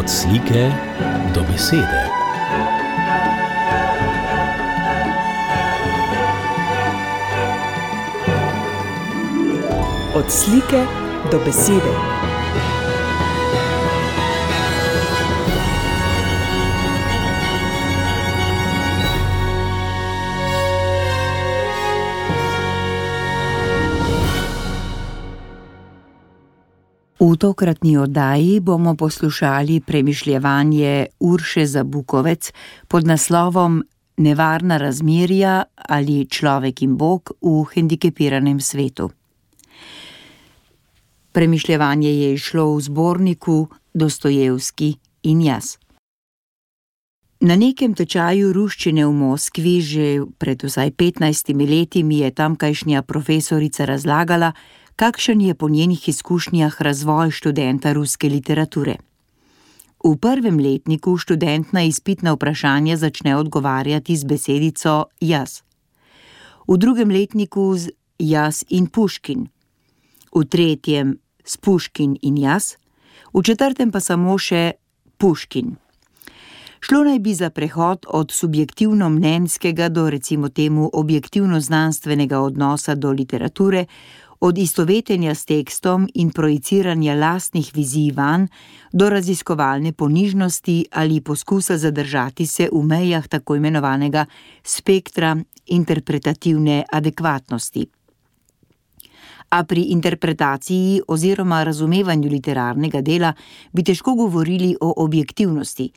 Od slike do besede. Od slike do besede. V tokratni oddaji bomo poslušali premišljevanje Urše Zabukovec pod naslovom Nevarna razmerja ali človek in Bog v hendikepiranem svetu. Premišljevanje je izšlo v zborniku Dostojevski in jaz. Na nekem tečaju ruščine v Moskvi že pred vsaj 15 leti mi je tamkajšnja profesorica razlagala, kakšen je po njenih izkušnjah razvoj študenta ruske literature. V prvem letniku študent na izpitna vprašanja začne odgovarjati z besedico jaz. V drugem letniku z jaz in Puškin. V tretjem s Puškin in jaz, v četrtem pa samo še Puškin. Šlo naj bi za prehod od subjektivno-mnenjskega do recimo temu objektivno-znanstvenega odnosa do literature, od istovetenja s tekstom in projiciranja lastnih vizij vanj do raziskovalne ponižnosti ali poskusa zadržati se v mejah tako imenovanega spektra interpretativne adekvatnosti. A pri interpretaciji oziroma razumevanju literarnega dela bi težko govorili o objektivnosti.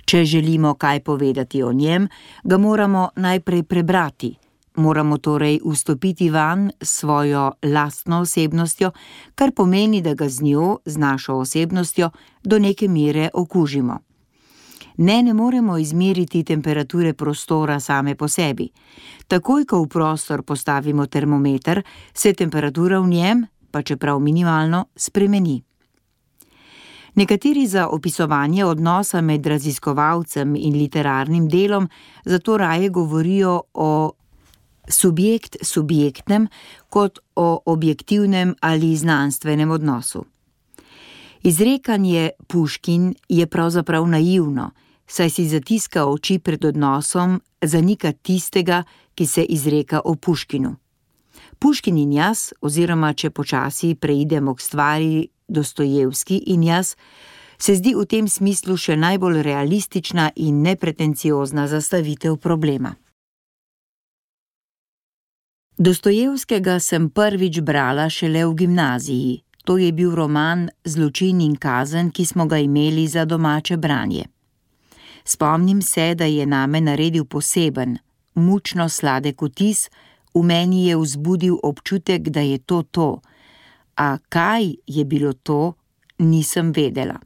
Če želimo kaj povedati o njem, ga moramo najprej prebrati. Moramo torej vstopiti vanj s svojo lastno osebnostjo, kar pomeni, da ga z njo, z našo osebnostjo, do neke mere okužimo. Ne moremo izmeriti temperature prostora same po sebi. Takoj, ko v prostor postavimo termometer, se temperatura v njem, pa čeprav minimalno, spremeni. Nekateri za opisovanje odnosa med raziskovalcem in literarnim delom zato raje govorijo o subjekt-subjektnem kot o objektivnem ali znanstvenem odnosu. Izrekanje Puškin je pravzaprav naivno, saj si zatiska oči pred odnosom, zanika tistega, ki se izreka o Puškinu. Puškin in jaz, oziroma če počasi preidemo k stvari Dostojevski in jaz, se zdi v tem smislu še najbolj realistična in nepretenciozna zastavitev problema. Dostojevskega sem prvič brala šele v gimnaziji. To je bil roman Zločin in kazen, ki smo ga imeli za domače branje. Spomnim se, da je name naredil poseben, mučno sladek vtis, v meni je vzbudil občutek, da je to. A kaj je bilo to, nisem vedela.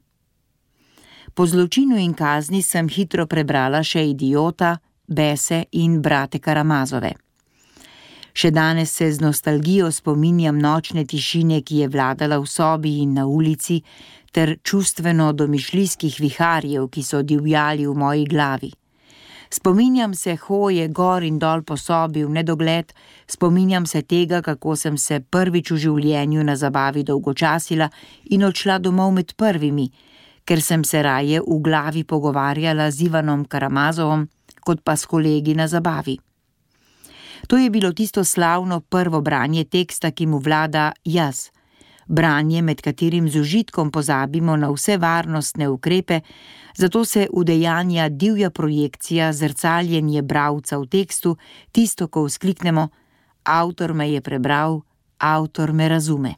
Po Zločinu in kazni sem hitro prebrala še Idiota, Bese in Brate Karamazove. Še danes se z nostalgijo spominjam nočne tišine, ki je vladala v sobi in na ulici, ter čustveno domišljijskih viharjev, ki so divjali v moji glavi. Spominjam se hoje gor in dol po sobi v nedogled, spominjam se tega, kako sem se prvič v življenju na zabavi dolgočasila in odšla domov med prvimi, ker sem se raje v glavi pogovarjala z Ivanom Karamazovom, kot pa s kolegi na zabavi. To je bilo tisto slavno prvo branje teksta, ki mu vlada jaz. Branje, med katerim z užitkom pozabimo na vse varnostne ukrepe, zato se udejanja divja projekcija, zrcaljenje bralca v tekstu, tisto, ko vzkliknemo, avtor me je prebral, avtor me razume.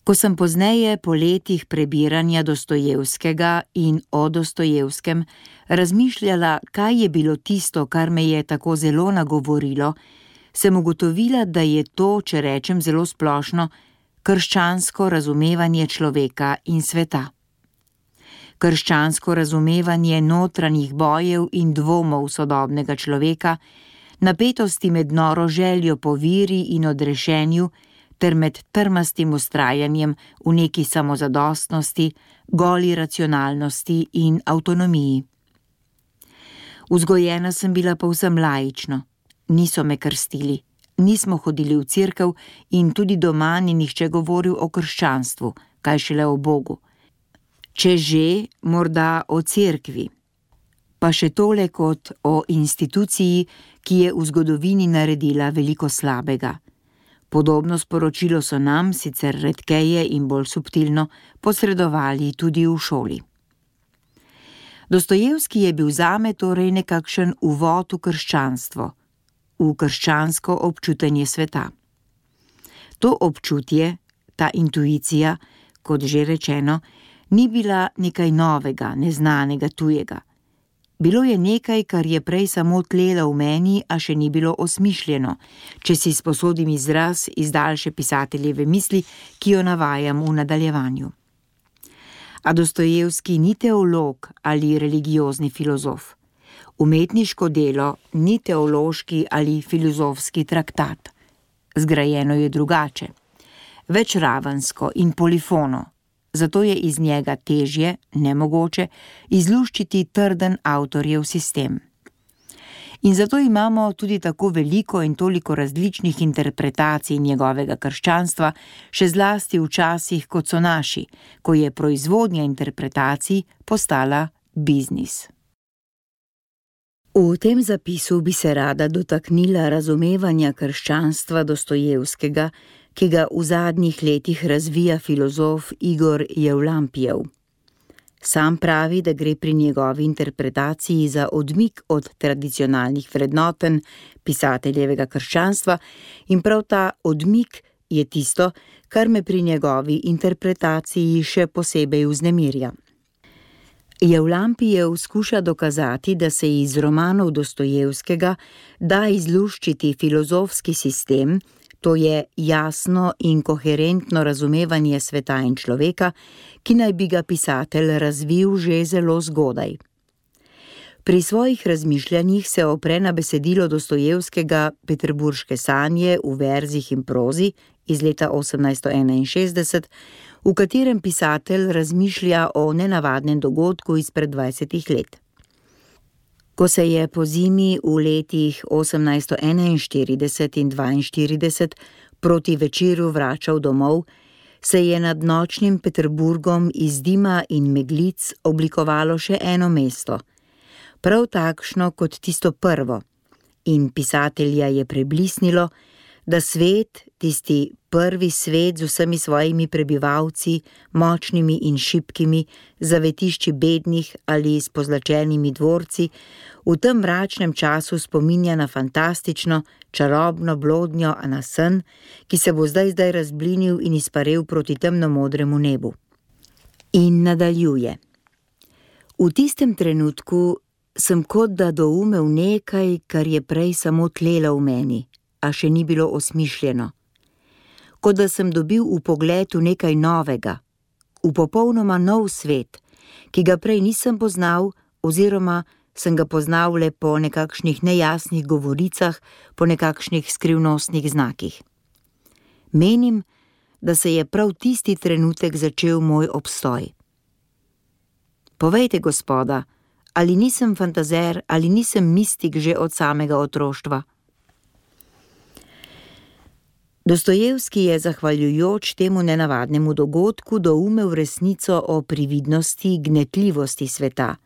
Ko sem pozneje po letih prebiranja Dostojevskega in o Dostojevskem razmišljala, kaj je bilo tisto, kar me je tako zelo nagovorilo, sem ugotovila, da je to, če rečem zelo splošno, krščansko razumevanje človeka in sveta. Krščansko razumevanje notranjih bojev in dvomov sodobnega človeka, napetosti med noro željo po viri in odrešenju, ter med trmastim vztrajanjem v neki samozadostnosti, goli racionalnosti in avtonomiji. Vzgojena sem bila povsem laično. Niso me krstili, nismo hodili v cerkev in tudi doma ni nihče govoril o krščanstvu, kaj šele o Bogu. Če že, morda o cerkvi. Pa še tole kot o instituciji, ki je v zgodovini naredila veliko slabega. Podobno sporočilo so nam, sicer redkeje in bolj subtilno, posredovali tudi v šoli. Dostojevski je bil zame torej nekakšen uvod v krščanstvo, v krščansko občutenje sveta. To občutje, ta intuicija, kot že rečeno, ni bila nekaj novega, neznanega, tujega. Bilo je nekaj, kar je prej samo tlelo v meni, a še ni bilo osmišljeno, če si sposodim izraz iz daljše pisateljeve misli, ki jo navajam v nadaljevanju. A Dostojevski ni teolog ali religiozni filozof. Umetniško delo ni teološki ali filozofski traktat. Zgrajeno je drugače, večravensko in polifono. Zato je iz njega težje, nemogoče, izluščiti trden avtorjev sistem. In zato imamo tudi tako veliko in toliko različnih interpretacij njegovega krščanstva, še zlasti v časih, kot so naši, ko je proizvodnja interpretacij postala biznis. V tem zapisu bi se rada dotaknila razumevanja krščanstva Dostojevskega, ki ga v zadnjih letih razvija filozof Igor Jevlampijev. Sam pravi, da gre pri njegovi interpretaciji za odmik od tradicionalnih vrednoten pisateljevega krščanstva in prav ta odmik je tisto, kar me pri njegovi interpretaciji še posebej vznemirja. Jevlampijev skuša dokazati, da se iz romanov Dostojevskega da izluščiti filozofski sistem, to je jasno in koherentno razumevanje sveta in človeka, ki naj bi ga pisatelj razvil že zelo zgodaj. Pri svojih razmišljanjih se opre na besedilo Dostojevskega Peterburške sanje v verzih in prozi iz leta 1861, v katerem pisatelj razmišlja o nenavadnem dogodku izpred 20 let. Ko se je pozimi v letih 1841 in 1842 proti večeru vračal domov, se je nad nočnim Peterburgom iz dima in meglic oblikovalo še eno mesto, prav takšno kot tisto prvo, in pisatelja je preblisnilo, da svet, tisti prvi svet z vsemi svojimi prebivalci, močnimi in šibkimi, zavetišči bednih ali s pozlačenimi dvorci, v tem mračnem času spominja na fantastično, čarobno blodnjo, a na sen, ki se bo zdaj razblinil in izparel proti temnomodremu nebu. In nadaljuje. V tistem trenutku sem kot da doumel nekaj, kar je prej samo tlelo v meni, a še ni bilo osmišljeno. Kot da sem dobil vpogled v nekaj novega, v popolnoma nov svet, ki ga prej nisem poznal oziroma sem ga poznal le po nekakšnih nejasnih govoricah, po nekakšnih skrivnostnih znakih. Menim, da se je prav tisti trenutek začel moj obstoj. Povejte, gospoda, ali nisem fantazer, ali nisem mistik že od samega otroštva? Dostojevski je zahvaljujoč temu nenavadnemu dogodku doumel resnico o prividnosti, gnetljivosti sveta,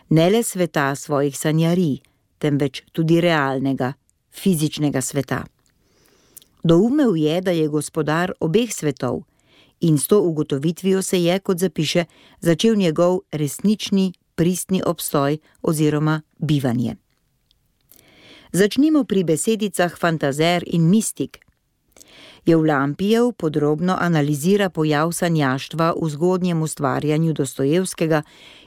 ne le sveta svojih sanjarij, temveč tudi realnega, fizičnega sveta. Doumel je, da je gospodar obeh svetov in s to ugotovitvijo se je, kot zapiše, začel njegov resnični, pristni obstoj oziroma bivanje. Začnimo pri besedicah fantazer in mistik. Jevlampijev podrobno analizira pojav sanjaštva v zgodnjem ustvarjanju Dostojevskega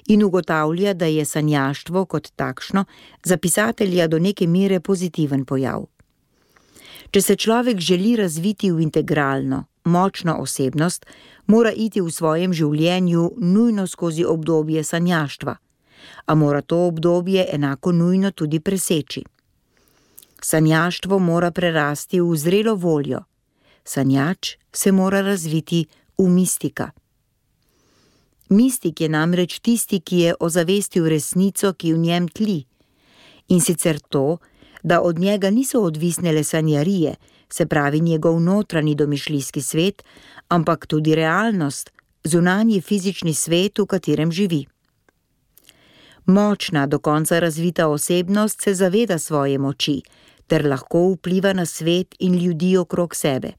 in ugotavlja, da je sanjaštvo kot takšno za pisatelja do neke mere pozitiven pojav. Če se človek želi razviti v integralno, močno osebnost, mora iti v svojem življenju nujno skozi obdobje sanjaštva, a mora to obdobje enako nujno tudi preseči. Sanjaštvo mora prerasti v zrelo voljo, sanjač se mora razviti v mistika. Mistik je namreč tisti, ki je ozavestil resnico, ki v njem tli, in sicer to, da od njega niso odvisne le sanjarije, se pravi njegov notranji domišljijski svet, ampak tudi realnost, zunanji fizični svet, v katerem živi. Močna, do konca razvita osebnost se zaveda svoje moči ter lahko vpliva na svet in ljudi okrog sebe.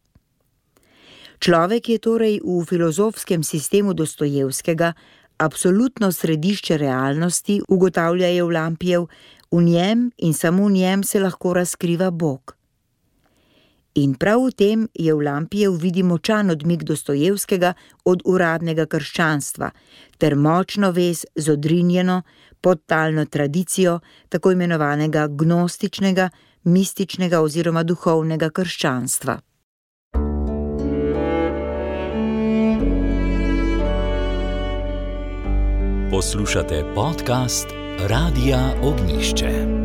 Človek je torej v filozofskem sistemu Dostojevskega absolutno središče realnosti, ugotavlja Evlampijev, v njem in samo v njem se lahko razkriva Bog. In prav v tem Evlampijev vidi močan odmik Dostojevskega od uradnega krščanstva ter močno vez z odrinjeno, podtalno tradicijo tako imenovanega gnostičnega, mističnega oziroma duhovnega krščanstva. Poslušate podcast Radia Ognjišče.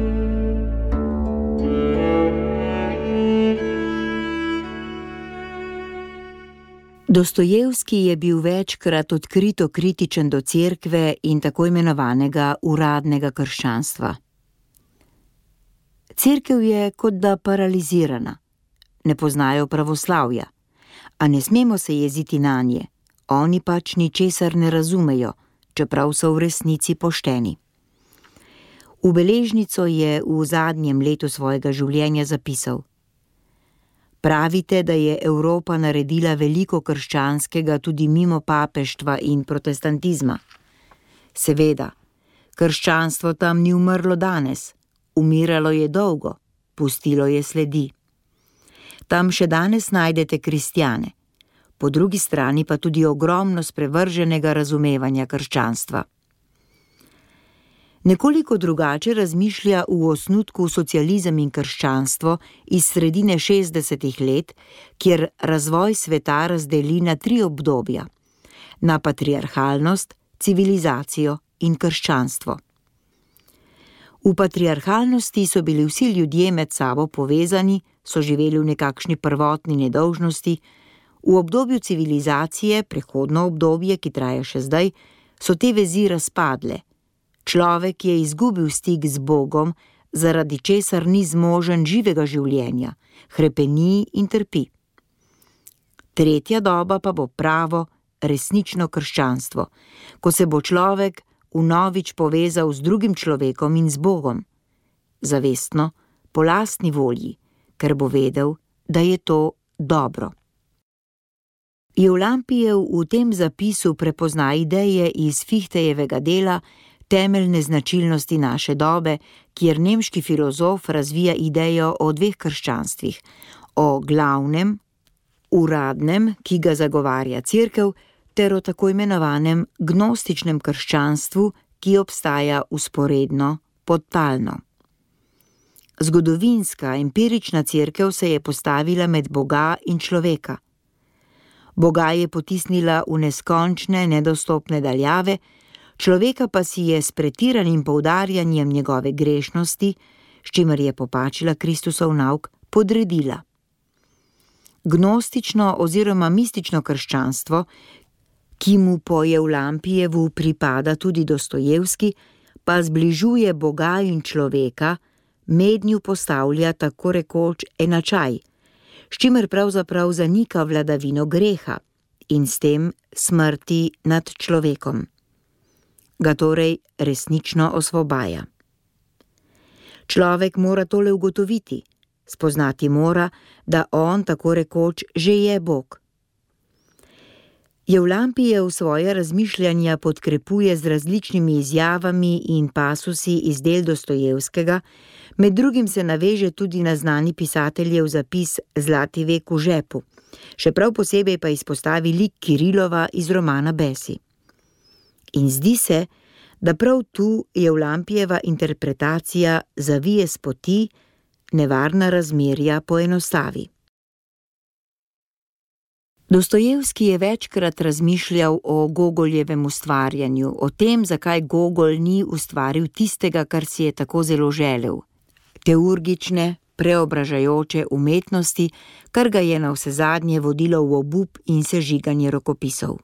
Dostojevski je bil večkrat odkrito kritičen do cerkve in tako imenovanega uradnega krščanstva. Cerkev je kot da paralizirana, ne poznajo pravoslavja, a ne smemo se jeziti nanje, oni pač ničesar ne razumejo, čeprav so v resnici pošteni. V beležnico je v zadnjem letu svojega življenja zapisal: Pravite, da je Evropa naredila veliko krščanskega tudi mimo papeštva in protestantizma. Seveda, krščanstvo tam ni umrlo danes, umiralo je dolgo, pustilo je sledi. Tam še danes najdete kristjane, po drugi strani pa tudi ogromno sprevrženega razumevanja krščanstva. Nekoliko drugače razmišlja v osnutku Socializem in krščanstvo iz sredine 60. let, kjer razvoj sveta razdeli na 3 obdobja: na patriarhalnost, civilizacijo in krščanstvo. V patriarhalnosti so bili vsi ljudje med sabo povezani, so živeli v nekakšni prvotni nedolžnosti, v obdobju civilizacije, prehodno obdobje, ki traja še zdaj, so te vezi razpadle. Človek je izgubil stik z Bogom, zaradi česar ni zmožen živega življenja, hrepeni in trpi. Tretja doba pa bo pravo, resnično krščanstvo, ko se bo človek vnovič povezal z drugim človekom in z Bogom, zavestno, po lastni volji, ker bo vedel, da je to dobro. Evlampijev v tem zapisu prepozna ideje iz Fichtejevega dela Temeljne značilnosti naše dobe, kjer nemški filozof razvija idejo o 2 krščanstvih, o glavnem, uradnem, ki ga zagovarja cerkev, ter o tako imenovanem gnostičnem krščanstvu, ki obstaja vzporedno, podtalno. Zgodovinska, empirična cerkev se je postavila med Boga in človeka. Boga je potisnila v neskončne, nedostopne daljave, človeka pa si je s pretiranim poudarjanjem njegove grešnosti, s čimer je popačila Kristusov nauk, podredila. Gnostično oziroma mistično krščanstvo, ki mu po Evlampijevu pripada tudi Dostojevski, pa zbližuje Boga in človeka, mednju postavlja tako rekoč enačaj, s čimer pravzaprav zanika vladavino greha in s tem smrti nad človekom. Ga torej resnično osvobaja. Človek mora tole ugotoviti, spoznati mora, da on tako rekoč že je Bog. Evlampijev svoje razmišljanja podkrepuje z različnimi izjavami in pasusi iz del Dostojevskega, med drugim se naveže tudi na znani pisateljev zapis Zlati vek v žepu, še prav posebej pa izpostavi lik Kirilova iz romana Besi. In zdi se, da prav tu Evlampijeva interpretacija zavije s poti, nevarna razmerja poenostavi. Dostojevski je večkrat razmišljal o Gogoljevem ustvarjanju, o tem, zakaj Gogolj ni ustvaril tistega, kar si je tako zelo želel, teurgične, preobražajoče umetnosti, kar ga je navsezadnje vodilo v obup in sežiganje rokopisov.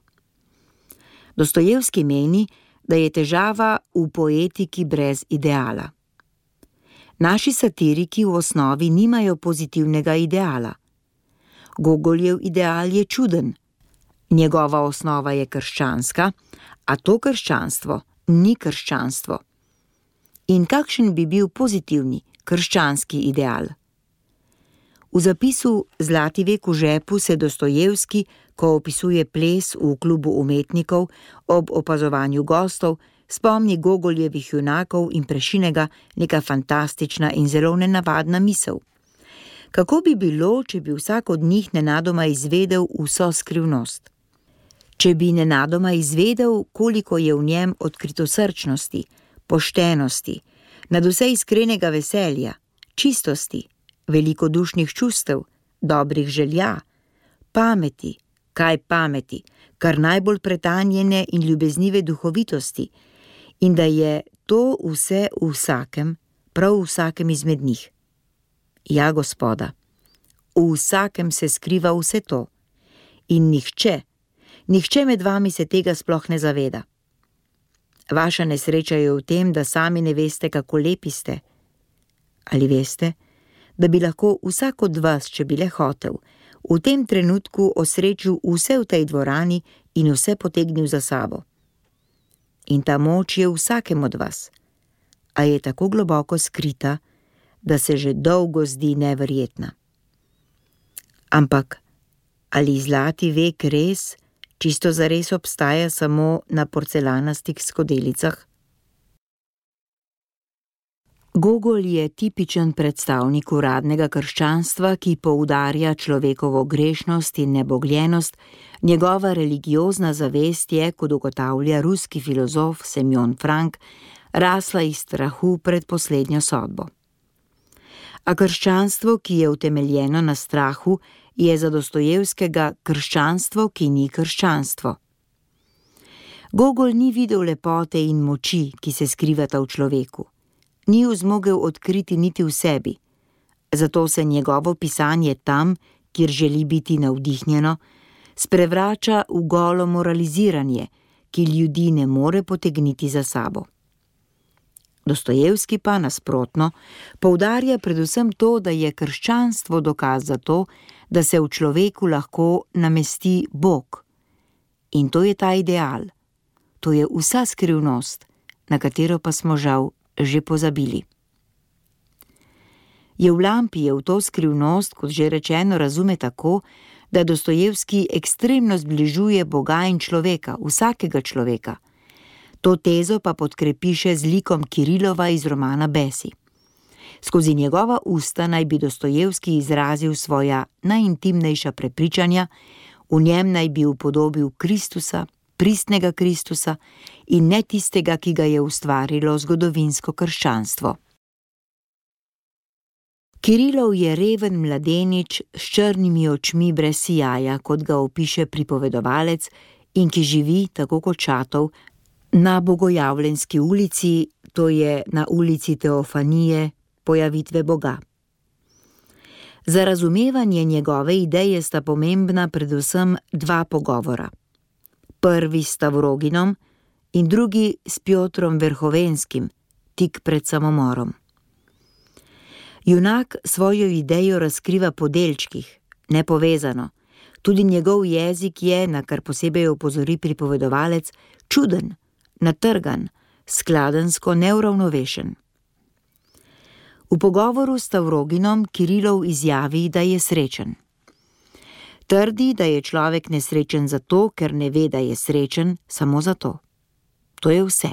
Dostojevski meni, da je težava v poetiki brez ideala. Naši satiriki v osnovi nimajo pozitivnega ideala. Gogoljev ideal je čuden. Njegova osnova je krščanska, a to krščanstvo ni krščanstvo. In kakšen bi bil pozitivni krščanski ideal? V zapisu Zlati vek v žepu se Dostojevski, ko opisuje ples v klubu umetnikov ob opazovanju gostov, spomni Gogoljevih junakov in Prešinega neka fantastična in zelo nenavadna misel. Kako bi bilo, če bi vsak od njih nenadoma izvedel vso skrivnost? Če bi nenadoma izvedel, koliko je v njem odkritosrčnosti, poštenosti, nadvse iskrenega veselja, čistosti, velikodušnih čustev, dobrih želja, pameti, kaj pameti, kar najbolj pretanjene in ljubeznive duhovitosti, in da je to vse v vsakem, prav v vsakem izmed njih. Ja, Gospoda, v vsakem se skriva vse to in nihče med vami se tega sploh ne zaveda. Vaša nesreča je v tem, da sami ne veste, kako lepi ste. Ali veste, da bi lahko vsak od vas, če bi le hotel, v tem trenutku osrečil vse v tej dvorani in vse potegnil za sabo? In ta moč je v vsakem od vas, a je tako globoko skrita, da se že dolgo zdi neverjetna. Ampak, ali zlati vek res, čisto zares obstaja samo na porcelanastih skodelicah? Gogol je tipičen predstavnik uradnega krščanstva, ki poudarja človekovo grešnost in nebogljenost. Njegova religiozna zavest je, kot ugotavlja ruski filozof Semjon Frank, rasla iz strahu pred poslednjo sodbo. A krščanstvo, ki je utemeljeno na strahu, je za Dostojevskega krščanstvo, ki ni krščanstvo. Gogol ni videl lepote in moči, ki se skrivata v človeku. Ni ju zmogel odkriti niti v sebi, zato se njegovo pisanje tam, kjer želi biti navdihnjeno, sprevrača v golo moraliziranje, ki ljudi ne more potegniti za sabo. Dostojevski pa nasprotno poudarja predvsem to, da je krščanstvo dokaz za to, da se v človeku lahko namesti Bog. In to je ta ideal, to je vsa skrivnost, na katero pa smo žal že pozabili. Jevlampijev to skrivnost, kot že rečeno, razume tako, da Dostojevski ekstremno zbližuje Boga in človeka, vsakega človeka. To tezo pa podkrepi še z likom Kirilova iz romana Besi. Skozi njegova usta naj bi Dostojevski izrazil svoja najintimnejša prepričanja, v njem naj bi upodobil Kristusa, pristnega Kristusa in ne tistega, ki ga je ustvarilo zgodovinsko krščanstvo. Kirilov je reven mladenič s črnimi očmi brez sijaja, kot ga opiše pripovedovalec, in ki živi, tako kot Šatov, na Bogojavljenski ulici, to je na ulici Teofanije, pojavitve Boga. Za razumevanje njegove ideje sta pomembna predvsem dva pogovora. Prvi s Stavroginom in drugi s Pjotrom Verhovenskim, tik pred samomorom. Junak svojo idejo razkriva po delčkih, nepovezano. Tudi njegov jezik je, na kar posebej opozori pripovedovalec, čuden, natrgan, skladensko neuravnovešen. V pogovoru s Stavroginom Kirilov izjavi, da je srečen. Trdi, da je človek nesrečen zato, ker ne ve, da je srečen, samo zato. To je vse.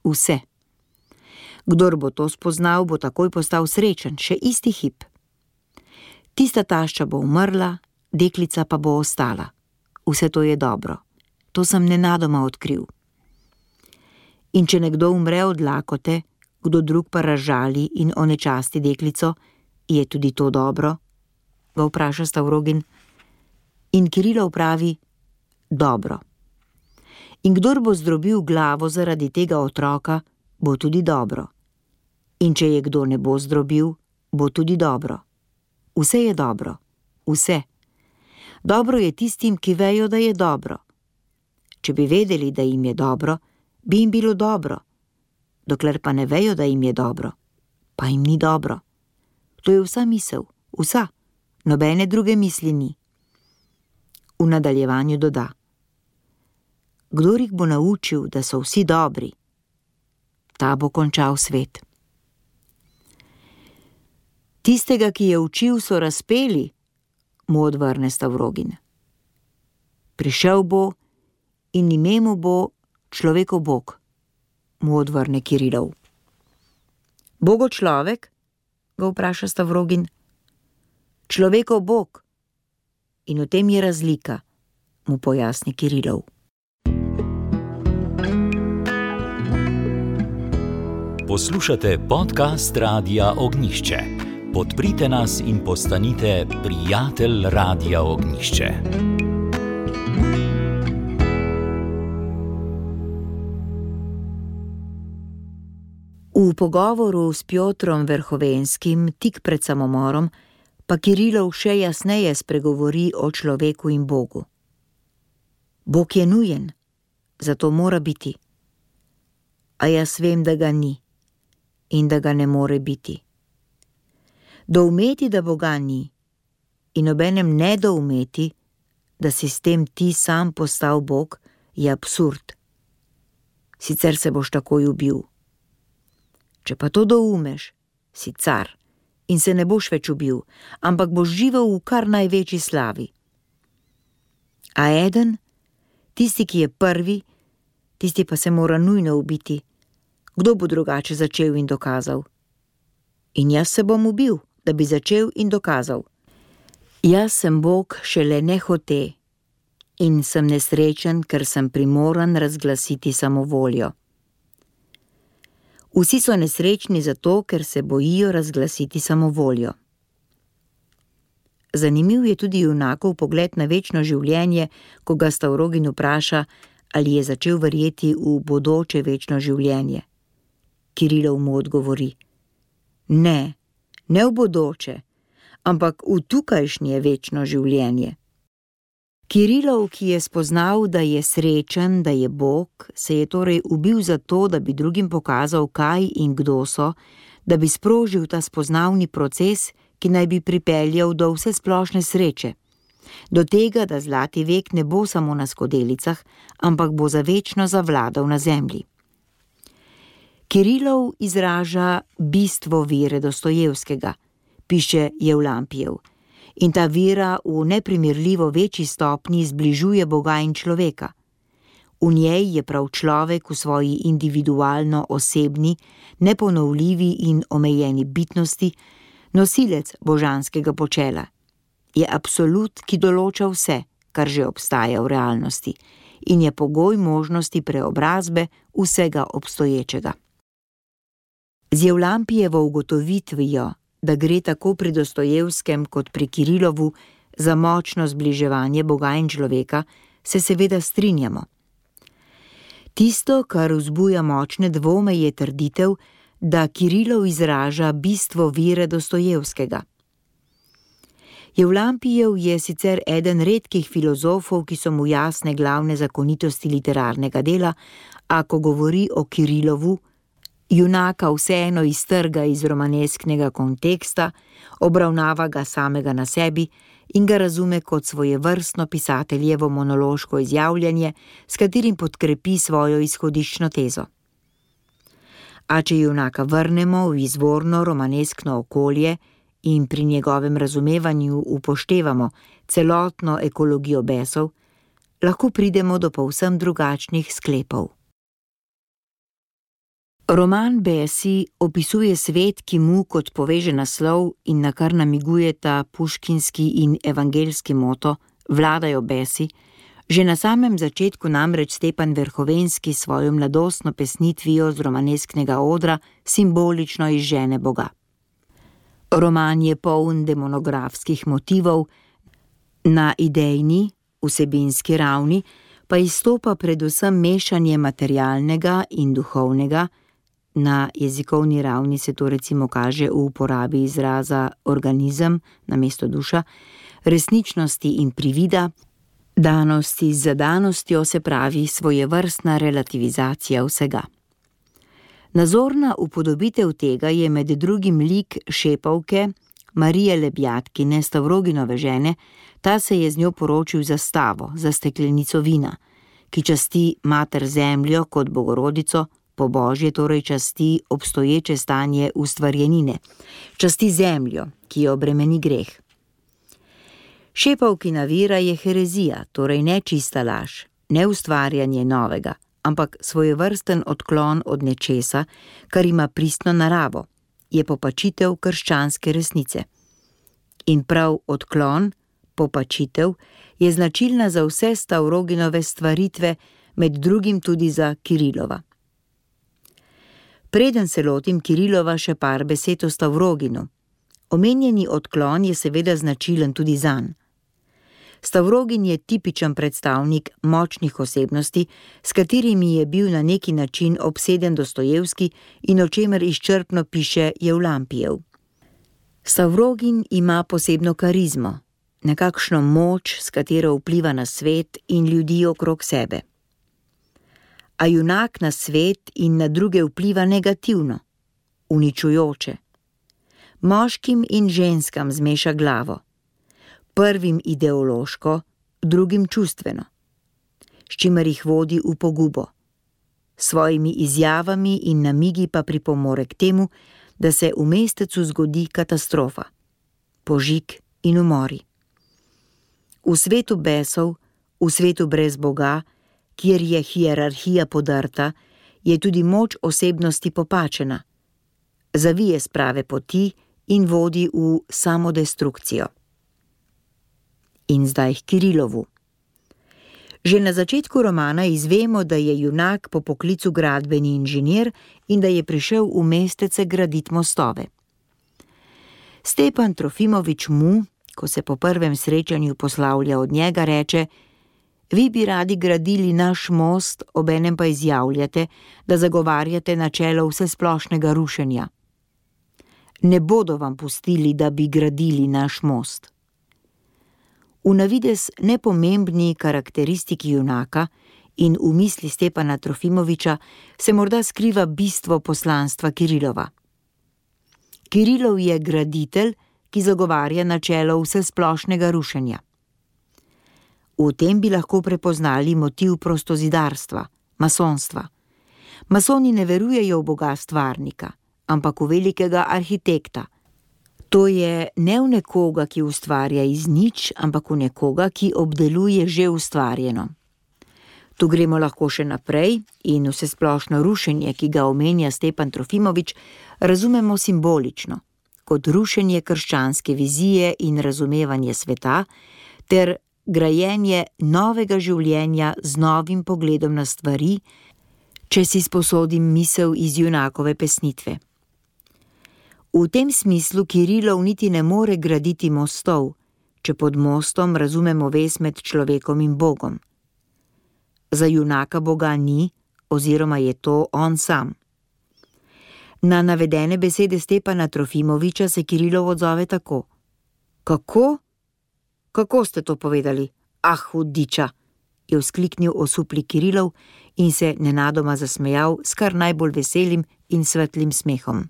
Vse. Kdor bo to spoznal, bo takoj postal srečen, še isti hip. Tista tašča bo umrla, deklica pa bo ostala. Vse to je dobro. To sem nenadoma odkril. In če nekdo umre od lakote, kdo drug pa razžali in onečasti deklico, je tudi to dobro? Ga vpraša Stavrogin. In Kirilov pravi, dobro. In kdor bo zdrobil glavo zaradi tega otroka, bo tudi dobro. In če je kdo ne bo zdrobil, bo tudi dobro. Vse je dobro. Vse. Dobro je tistim, ki vejo, da je dobro. Če bi vedeli, da jim je dobro, bi jim bilo dobro. Dokler pa ne vejo, da jim je dobro, pa jim ni dobro. To je vsa misel, vsa. Nobene druge misli ni. V nadaljevanju doda. Kdor jih bo naučil, da so vsi dobri, ta bo končal svet. Tistega, ki je učil, so razpeli, mu odvrne Stavrogin. Prišel bo in ime mu bo človekov Bog, mu odvrne Kirilov. Bogo človek? Ga vpraša Stavrogin. Človekov Bog. In v tem je razlika, mu pojasni Kirilov. Poslušate podcast Radia Ognjišče. Podprite nas in postanite prijatelj Radia Ognjišče. V pogovoru s Pjotrom Verhovenskim tik pred samomorom pa Kirilov še jasneje spregovori o človeku in Bogu. Bog je nujen, zato mora biti. A jaz vem, da ga ni in da ga ne more biti. Doumeti, da Boga ni, in obenem ne doumeti, da si s tem ti sam postal Bog, je absurd. Sicer se boš takoj ubil. Če pa to doumeš, si car in se ne boš več ubil, ampak boš živel v kar največji slavi. A eden, tisti, ki je prvi, tisti pa se mora nujno ubiti. Kdo bo drugače začel in dokazal? In jaz se bom ubil, da bi začel in dokazal. Jaz sem Bog šele nehote in sem nesrečen, ker sem primoran razglasiti samovoljo. Vsi so nesrečni zato, ker se bojijo razglasiti samovoljo. Zanimiv je tudi junakov pogled na večno življenje, ko ga Stavrogin vpraša, ali je začel verjeti v bodoče večno življenje. Kirilov mu odgovori: Ne, ne v bodoče, ampak v tukajšnje večno življenje. Kirilov, ki je spoznal, da je srečen, da je Bog, se je torej ubil zato, da bi drugim pokazal, kaj in kdo so, da bi sprožil ta spoznavni proces, ki naj bi pripeljal do vsesplošne sreče, do tega, da zlati vek ne bo samo na skodelicah, ampak bo za večno zavladal na zemlji. Kirilov izraža bistvo vere Dostojevskega, piše Jevlampijev, in ta vera v neprimerljivo večji stopnji zbližuje Boga in človeka. V njej je prav človek v svoji individualno osebni, neponovljivi in omejeni bitnosti nosilec božanskega počela. Je absolut, ki določa vse, kar že obstaja v realnosti, in je pogoj možnosti preobrazbe vsega obstoječega. Z Jevlampijevo ugotovitvijo, da gre tako pri Dostojevskem kot pri Kirilovu za močno zbliževanje Boga in človeka, se seveda strinjamo. Tisto, kar vzbuja močne dvome, je trditev, da Kirilov izraža bistvo vere Dostojevskega. Jevlampijev je sicer eden redkih filozofov, ki so mu jasne glavne zakonitosti literarnega dela, a ko govori o Kirilovu, junaka vseeno iztrga iz romanesknega konteksta, obravnava ga samega na sebi in ga razume kot svojevrstno pisateljevo monološko izjavljanje, s katerim podkrepi svojo izhodiščno tezo. A če junaka vrnemo v izvorno romaneskno okolje in pri njegovem razumevanju upoštevamo celotno ekologijo besov, lahko pridemo do povsem drugačnih sklepov. Roman Besi opisuje svet, ki mu, kot poveže naslov in na kar namigujeta puškinski in evangeljski moto, vladajo besi, že na samem začetku namreč Stepan Verhovenski svojo mladostno pesnitvijo z romanesknega odra simbolično izžene Boga. Roman je poln demonografskih motivov, na idejni, vsebinski ravni pa izstopa predvsem mešanje materialnega in duhovnega. Na jezikovni ravni se to recimo kaže v uporabi izraza organizem namesto duša, resničnosti in privida, danosti z zadanostjo, se pravi svojevrstna relativizacija vsega. Nazorna upodobitev tega je med drugim lik Šepavke, Marije Lebjatkine, Stavroginove žene. Ta se je z njo poročil za stavo, za steklenico vina, ki časti mater zemljo kot Bogorodico, po božje torej časti obstoječe stanje ustvarjenine, časti zemljo, ki jo bremeni greh. Šepavkina vera je herezija, torej ne čista laž, ne ustvarjanje novega, ampak svojevrsten odklon od nečesa, kar ima pristno naravo, je popačitev krščanske resnice. In prav odklon, popačitev, je značilna za vse Stavroginove stvaritve, med drugim tudi za Kirilova. Preden se lotim Kirilova, še par besed o Stavroginu. Omenjeni odklon je seveda značilen tudi zanj. Stavrogin je tipičen predstavnik močnih osebnosti, s katerimi je bil na neki način obseden Dostojevski in o čemer izčrpno piše Jevlampijev. Stavrogin ima posebno karizmo, nekakšno moč, s katero vpliva na svet in ljudi okrog sebe. A junak na svet in na druge vpliva negativno, uničujoče. Moškim in ženskam zmeša glavo, prvim ideološko, drugim čustveno, s čimer jih vodi v pogubo. S svojimi izjavami in namigi pa pripomore k temu, da se v mestecu zgodi katastrofa, požig in umori. V svetu besov, v svetu brez Boga, kjer je hierarhija podrta, je tudi moč osebnosti popačena, zavije s prave poti in vodi v samodestrukcijo. In zdaj k Kirilovu. Že na začetku romana izvemo, da je junak po poklicu gradbeni inženir in da je prišel v mestece graditi mostove. Stepan Trofimovič mu, ko se po prvem srečanju poslavlja od njega, reče: vi bi radi gradili naš most, obenem pa izjavljate, da zagovarjate načelo vsesplošnega rušenja. Ne bodo vam pustili, da bi gradili naš most. V navidez nepomembni karakteristiki junaka in v misli Stepana Trofimoviča se morda skriva bistvo poslanstva Kirilova. Kirilov je graditelj, ki zagovarja načelo vsesplošnega rušenja. V tem bi lahko prepoznali motiv prostozidarstva, masonstva. Masoni ne verujejo v Boga stvarnika, ampak v velikega arhitekta. To je ne v nekoga, ki ustvarja iz nič, ampak v nekoga, ki obdeluje že ustvarjeno. Tu gremo lahko še naprej in vsesplošno rušenje, ki ga omenja Stepan Trofimovič, razumemo simbolično, kot rušenje krščanske vizije in razumevanje sveta, ter grajenje novega življenja z novim pogledom na stvari, če si sposodim misel iz junakove pesnitve. V tem smislu Kirilov niti ne more graditi mostov, če pod mostom razumemo vez med človekom in Bogom. Za junaka Boga ni, oziroma je to on sam. Na navedene besede Stepana Trofimoviča se Kirilov odzove tako: Kako? Kako ste to povedali? Ah, hudiča, je vzkliknil osupli Kirilov in se nenadoma zasmejal s kar najbolj veselim in svetlim smehom.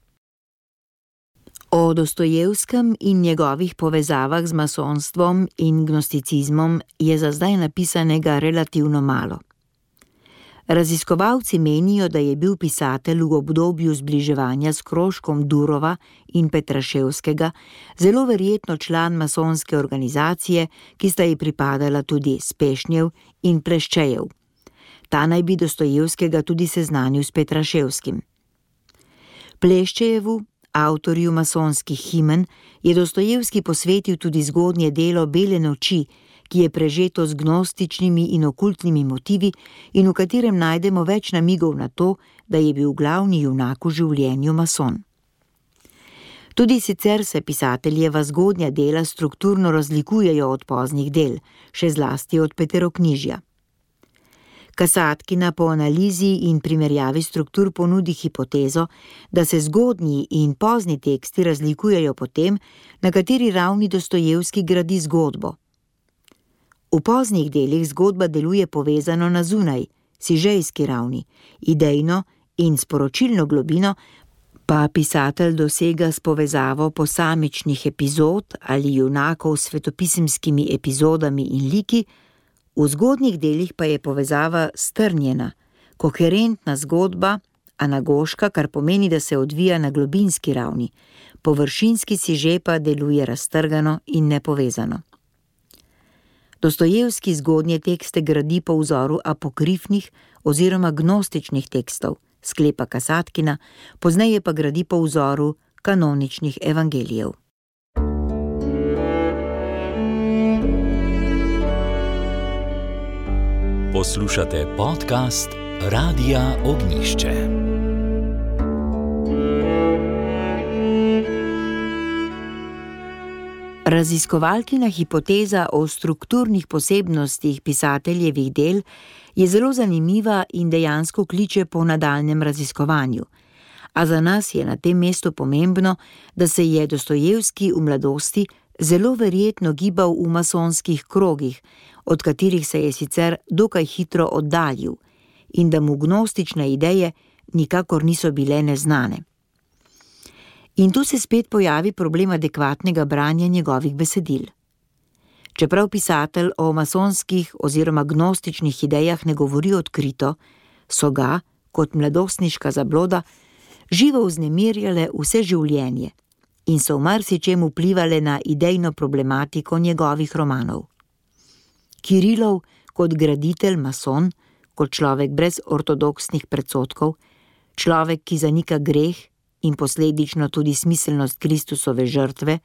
O Dostojevskem in njegovih povezavah z masonstvom in gnosticizmom je za zdaj napisanega relativno malo. Raziskovalci menijo, da je bil pisatelj v obdobju zbliževanja s krožkom Durova in Petraševskega zelo verjetno član masonske organizacije, ki sta ji pripadala tudi Spešnjev in Pleščejev. Ta naj bi Dostojevskega tudi seznanil s Petraševskim. Pleščejevu, avtorju masonskih himen, je Dostojevski posvetil tudi zgodnje delo Bele noči, ki je prežeto z gnostičnimi in okultnimi motivi in v katerem najdemo več namigov na to, da je bil glavni junak v življenju mason. Tudi sicer se pisateljeva zgodnja dela strukturno razlikujejo od poznih del, še zlasti od Peteroknjižja. Kasatkina po analizi in primerjavi struktur ponudi hipotezo, da se zgodnji in pozni teksti razlikujejo po tem, na kateri ravni Dostojevski gradi zgodbo. V poznih delih zgodba deluje povezano na zunaj, sižejski ravni, idejno in sporočilno globino pa pisatelj dosega s povezavo posamičnih epizod ali junakov s svetopisemskimi epizodami in liki, V zgodnjih delih pa je povezava strnjena, koherentna zgodba, anagoška, kar pomeni, da se odvija na globinski ravni, površinski siže pa deluje raztrgano in nepovezano. Dostojevski zgodnje tekste gradi po vzoru apokrifnih oziroma gnostičnih tekstov, sklepa Kasatkina, pozneje pa gradi po vzoru kanoničnih evangelijev. Poslušate podcast Radia Ognjišče. Raziskovalkina hipoteza o strukturnih posebnostih pisateljevih del je zelo zanimiva in dejansko kliče po nadaljnjem raziskovanju. A za nas je na tem mestu pomembno, da se je Dostojevski v mladosti zelo verjetno gibal v masonskih krogih, od katerih se je sicer dokaj hitro oddaljil, in da mu gnostične ideje nikakor niso bile neznane. In tu se spet pojavi problem adekvatnega branja njegovih besedil. Čeprav pisatelj o masonskih oziroma gnostičnih idejah ne govori odkrito, so ga, kot mladostniška zabloda, živo vznemirjale vse življenje in so v marsičem vplivale na idejno problematiko njegovih romanov. Kirilov kot graditelj mason, kot človek brez ortodoksnih predsodkov, človek, ki zanika greh in posledično tudi smiselnost Kristusove žrtve,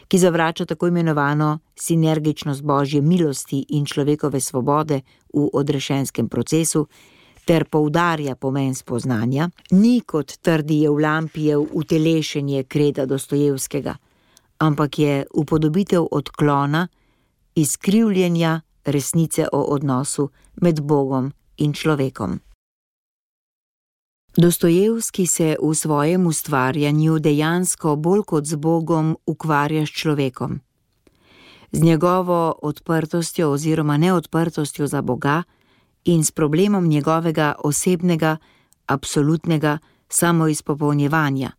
ki zavrača tako imenovano sinergičnost Božje milosti in človekove svobode v odrešenskem procesu, ter poudarja pomen spoznanja, ni, kot trdi Evlampijev, utelešenje kreda Dostojevskega, ampak je upodobitev odklona, izkrivljenja resnice o odnosu med Bogom in človekom. Dostojevski se v svojem ustvarjanju dejansko bolj kot z Bogom ukvarja s človekom. Z njegovo odprtostjo oziroma neodprtostjo za Boga in s problemom njegovega osebnega, absolutnega samoizpopolnjevanja,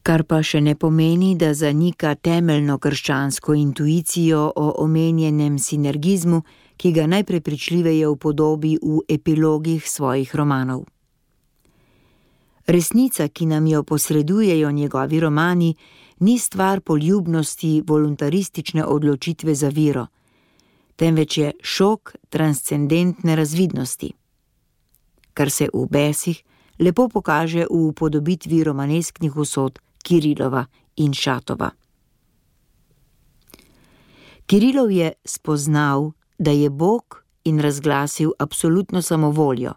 kar pa še ne pomeni, da zanika temeljno krščansko intuicijo o omenjenem sinergizmu, ki ga najprepričljiveje upodobi v epilogih svojih romanov. Resnica, ki nam jo posredujejo njegovi romani, ni stvar poljubnosti voluntaristične odločitve za vero, temveč je šok transcendentne razvidnosti, kar se v Besih lepo pokaže v upodobitvi romanesknih usod Kirilova in Šatova. Kirilov je spoznal, da je Bog, in razglasil absolutno samovoljo,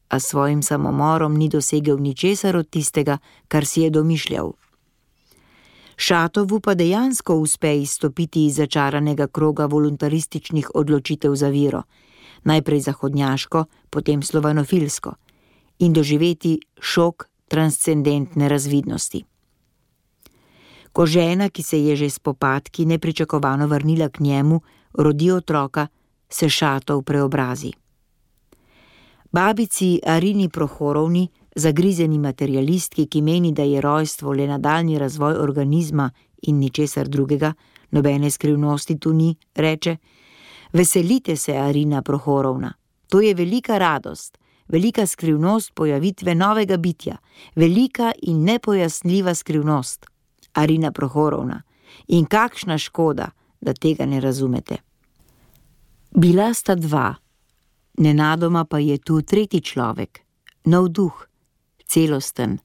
a svojim samomorom ni dosegel ničesar od tistega, kar si je domišljal. Šatovu pa dejansko uspe izstopiti iz začaranega kroga voluntarističnih odločitev za vero, najprej zahodnjaško, potem slovanofilsko, in doživeti šok transcendentne razvidnosti. Ko žena, ki se je že s popadki nepričakovano vrnila k njemu, rodi otroka, se Šatov preobrazi. Babici Arini Prohorovni, zagrizeni materialistki, ki meni, da je rojstvo le nadaljnji razvoj organizma in ničesar drugega, nobene skrivnosti tu ni, reče: "Veselite se, Arina Prohorovna, to je velika radost, velika skrivnost pojavitve novega bitja, velika in nepojasnljiva skrivnost, Arina Prohorovna, in kakšna škoda, da tega ne razumete." Bila sta dva, nenadoma pa je tu tretji človek, nov duh, celosten,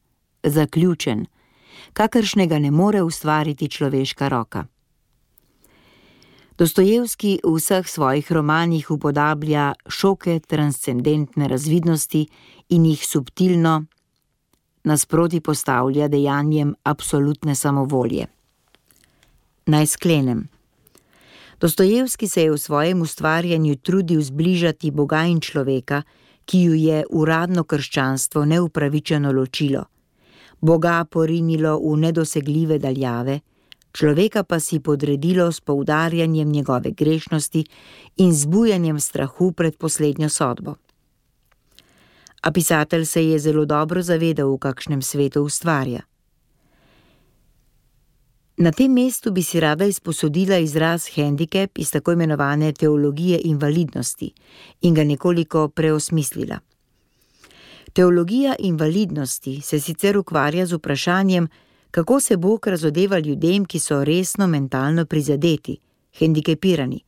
zaključen, kakršnega ne more ustvariti človeška roka. Dostojevski v vseh svojih romanih upodablja šoke transcendentne razvidnosti in jih subtilno nasproti postavlja dejanjem absolutne samovolje. Naj sklenem. Dostojevski se je v svojem ustvarjanju trudil zbližati Boga in človeka, ki ju je uradno krščanstvo neupravičeno ločilo, Boga porinilo v nedosegljive daljave, človeka pa si podredilo s poudarjanjem njegove grešnosti in zbujanjem strahu pred poslednjo sodbo. A pisatelj se je zelo dobro zavedal, v kakšnem svetu ustvarja. Na tem mestu bi si rada izposodila izraz hendikep iz tako imenovane teologije invalidnosti in ga nekoliko preosmislila. Teologija invalidnosti se sicer ukvarja z vprašanjem, kako se Bog razodeva ljudem, ki so resno mentalno prizadeti, hendikepirani,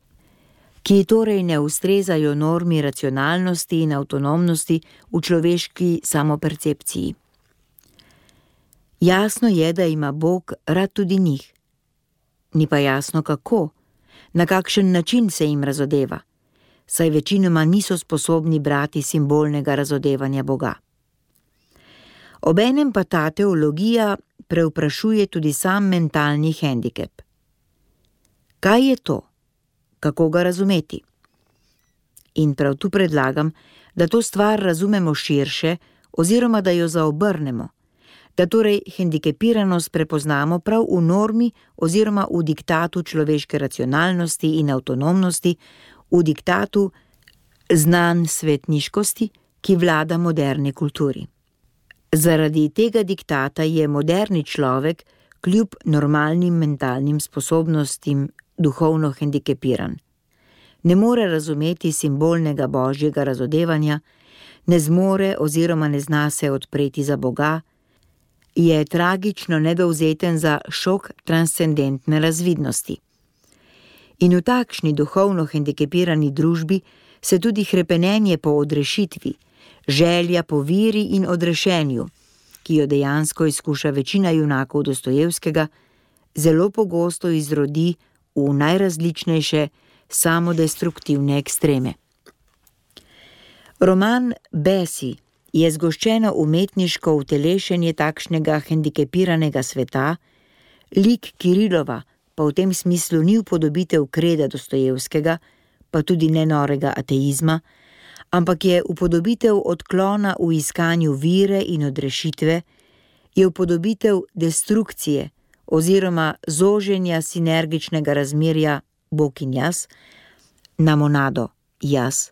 ki torej ne ustrezajo normi racionalnosti in avtonomnosti v človeški samopercepciji. Jasno je, da ima Bog rad tudi njih. Ni pa jasno kako, na kakšen način se jim razodeva, saj večinoma niso sposobni brati simbolnega razodevanja Boga. Obenem pa ta teologija prevprašuje tudi sam mentalni hendikep. Kaj je to? Kako ga razumeti? In prav tu predlagam, da to stvar razumemo širše oziroma da jo zaobrnemo, da torej hendikepiranost prepoznamo prav v normi oziroma v diktatu človeške racionalnosti in avtonomnosti, v diktatu znanj svetniškosti, ki vlada moderni kulturi. Zaradi tega diktata je moderni človek kljub normalnim mentalnim sposobnostim duhovno hendikepiran. Ne more razumeti simbolnega božjega razodevanja, ne zmore oziroma ne zna se odpreti za Boga, je tragično nedovzeten za šok transcendentne razvidnosti. In v takšni duhovno hendikepirani družbi se tudi hrepenenje po odrešitvi, želja po viri in odrešenju, ki jo dejansko izkuša večina junakov Dostojevskega, zelo pogosto izrodi v najrazličnejše samodestruktivne ekstreme. Roman Besi je zgoščeno umetniško utelešenje takšnega hendikepiranega sveta, lik Kirilova pa v tem smislu ni upodobitev kreda Dostojevskega, pa tudi ne norega ateizma, ampak je upodobitev odklona v iskanju vire in odrešitve, je upodobitev destrukcije oziroma zoženja sinergičnega razmerja Bog in jaz na monado jaz,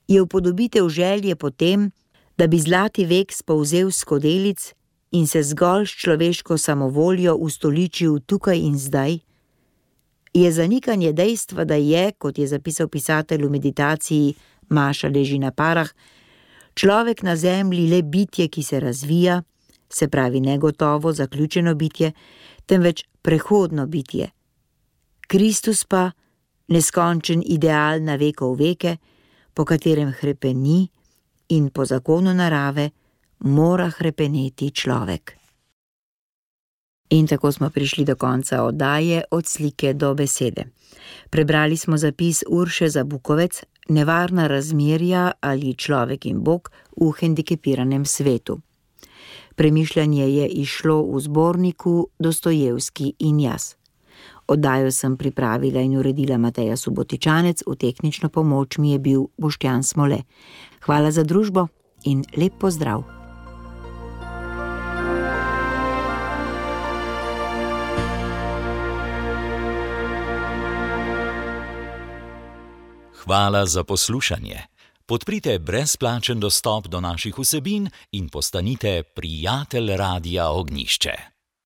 je upodobitev želje po tem, da bi zlati vek spolzel s skodelic in se zgolj s človeško samovoljo ustoličil tukaj in zdaj, je zanikanje dejstva, da je, kot je zapisal pisatelj v meditaciji Maša leži na parah, človek na zemlji le bitje, ki se razvija, se pravi negotovo, zaključeno bitje, temveč prehodno bitje. Kristus pa neskončen ideal na vekov veke, po katerem hrepeni in po zakonu narave mora hrepeneti človek. In tako smo prišli do konca oddaje Od slike do besede. Prebrali smo zapis Urše Zabukovec Nevarna razmerja ali človek in Bog v hendikepiranem svetu. Premišljanje je izšlo v zborniku Dostojevski in jaz. Oddajo sem pripravila in uredila Mateja Subotičanec, v tehnično pomoč mi je bil Boštjan Smole. Hvala za družbo in lep pozdrav. Hvala za poslušanje. Podprite brezplačen dostop do naših vsebin in postanite prijatelj Radia Ognjišče.